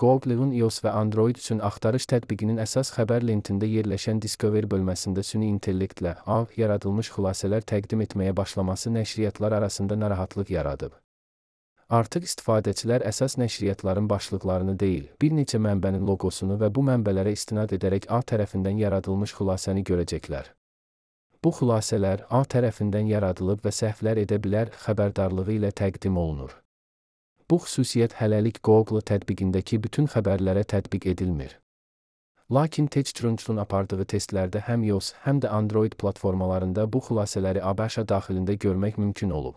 Google-un iOS və Android üçün axtarış tətbiqinin əsas xəbər lentində yerləşən Discover bölməsində süni intellektlə yaradılmış xülasələr təqdim etməyə başlaması nəşriyyatlar arasında narahatlıq yaradıb. Artıq istifadəçilər əsas nəşriyyatların başlıqlarını deyil, bir neçə mənbənin loqosunu və bu mənbələrə istinad edərək A tərəfindən yaradılmış xülasəni görəcəklər. Bu xülasələr A tərəfindən yaradılıb və səhvlər edə bilər xəbərdarlığı ilə təqdim olunur. Bu xüsusiyyət hələlik Google tətbiqindəki bütün xəbərlərə tətbiq edilmir. Lakin TechCrunch'un apardığı testlərdə həm iOS, həm də Android platformalarında bu xülasələri ABŞ daxilində görmək mümkün olub.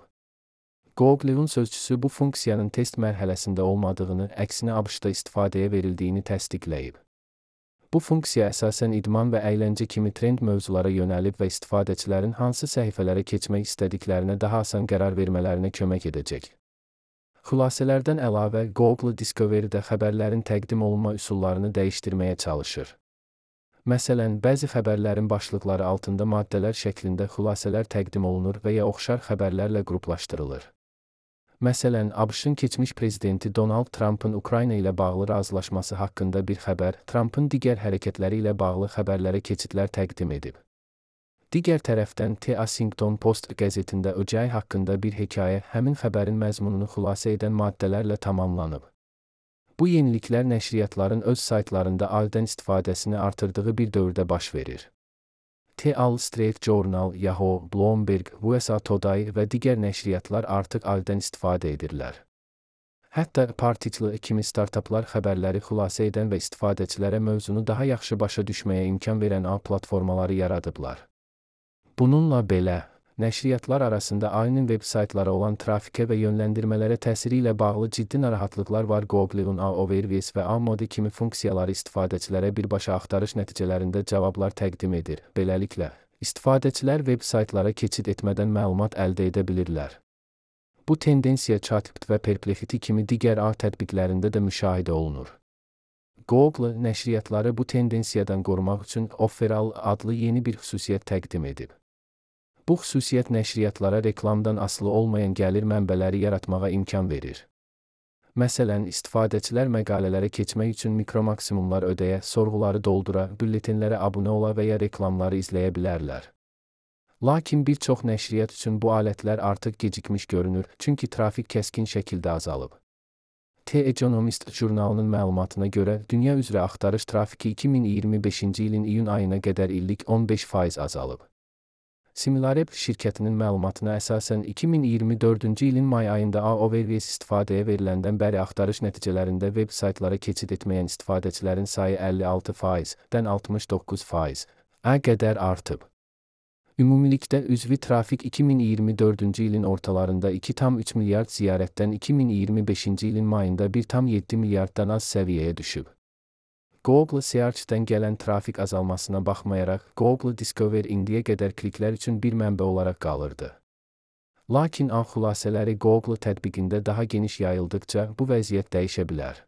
Google-un sözçüsü bu funksiyanın test mərhələsində olmadığını, əksinə ABŞ-da istifadəyə verildiyini təsdiqləyib. Bu funksiya əsasən idman və əyləncə kimi trend mövzulara yönəlib və istifadəçilərin hansı səhifələrə keçmək istədiklərinə daha asan qərar vermələrinə kömək edəcək. Xülasələrdən əlavə, Google Discovery-də xəbərlərin təqdim olunma üsullarını dəyişdirməyə çalışır. Məsələn, bəzi xəbərlərin başlıqları altında maddələr şəklində xülasələr təqdim olunur və ya oxşar xəbərlərlə qruplaşdırılır. Məsələn, ABŞ-ın keçmiş prezidenti Donald Trump'ın Ukrayna ilə bağlı razılaşması haqqında bir xəbər, Trump'ın digər hərəkətləri ilə bağlı xəbərlərə keçidlər təqdim edib. Digər tərəfdən, The Washington Post qəzetində OJ haqqında bir hekayə həmin xəbərin məzmununu xülasə edən maddələrlə tamamlanıb. Bu yeniliklər nəşriyyatların öz saytlarında AL-dən istifadəsini artırdığı bir dövrdə baş verir. The Wall Street Journal, Yahoo, Bloomberg, USA Today və digər nəşriyyatlar artıq AL-dən istifadə edirlər. Hətta Particle kimi startaplar xəbərləri xülasə edən və istifadəçilərə mövzunu daha yaxşı başa düşməyə imkan verən A platformaları yaradıblar. Bununla belə, nəşriyyatlar arasında AL-nin veb-saytlara olan trafikə və yönləndirmələrə təsiri ilə bağlı ciddi narahatlıqlar var. Google-un A-Overviews və A-Mode kimi funksiyaları istifadəçilərə birbaşa axtarış nəticələrində cavablar təqdim edir. Beləliklə, istifadəçilər veb-saytlara keçid etmədən məlumat əldə edə bilirlər. Bu tendensiya ChatGPT və Perplexity kimi digər A tətbiqlərində də müşahidə olunur. Google nəşriyyatları bu tendensiyadan qorumaq üçün Offeral adlı yeni bir xüsusiyyət təqdim edib. Bu xüsusiyyət nəşriyyatlara reklamdan asılı olmayan gəlir mənbələri yaratmağa imkan verir. Məsələn, istifadəçilər məqalələrə keçmək üçün mikromaksimumlar ödəyə, sorğuları doldura, bülletenlərə abunə ola və ya reklamları izləyə bilərlər. Lakin bir çox nəşriyyat üçün bu alətlər artıq gecikmiş görünür, çünki trafik kəskin şəkildə azalıb. The Economist jurnalının məlumatına görə, dünya üzrə axtarış trafiki 2025-ci ilin iyun ayına qədər illik 15% azalıb. Similarweb şirkətinin məlumatına əsasən 2024-cü ilin may ayında A-Overviews istifadəyə veriləndən bəri axtarış nəticələrində veb-saytlara keçid etməyən istifadəçilərin sayı 56%-dən 69%-ə qədər artıb. Ümumilikdə üzvi trafik 2024-cü ilin ortalarında 2,3 milyard ziyarətdən 2025-ci ilin mayında 1,7 milyarddan az səviyyəyə düşüb. Google Search-dən gələn trafik azalmasına baxmayaraq, Google Discover indiyə qədər kliklər üçün bir mənbə olaraq qalırdı. Lakin A xülasələri Google tətbiqində daha geniş yayıldıqca bu vəziyyət dəyişə bilər.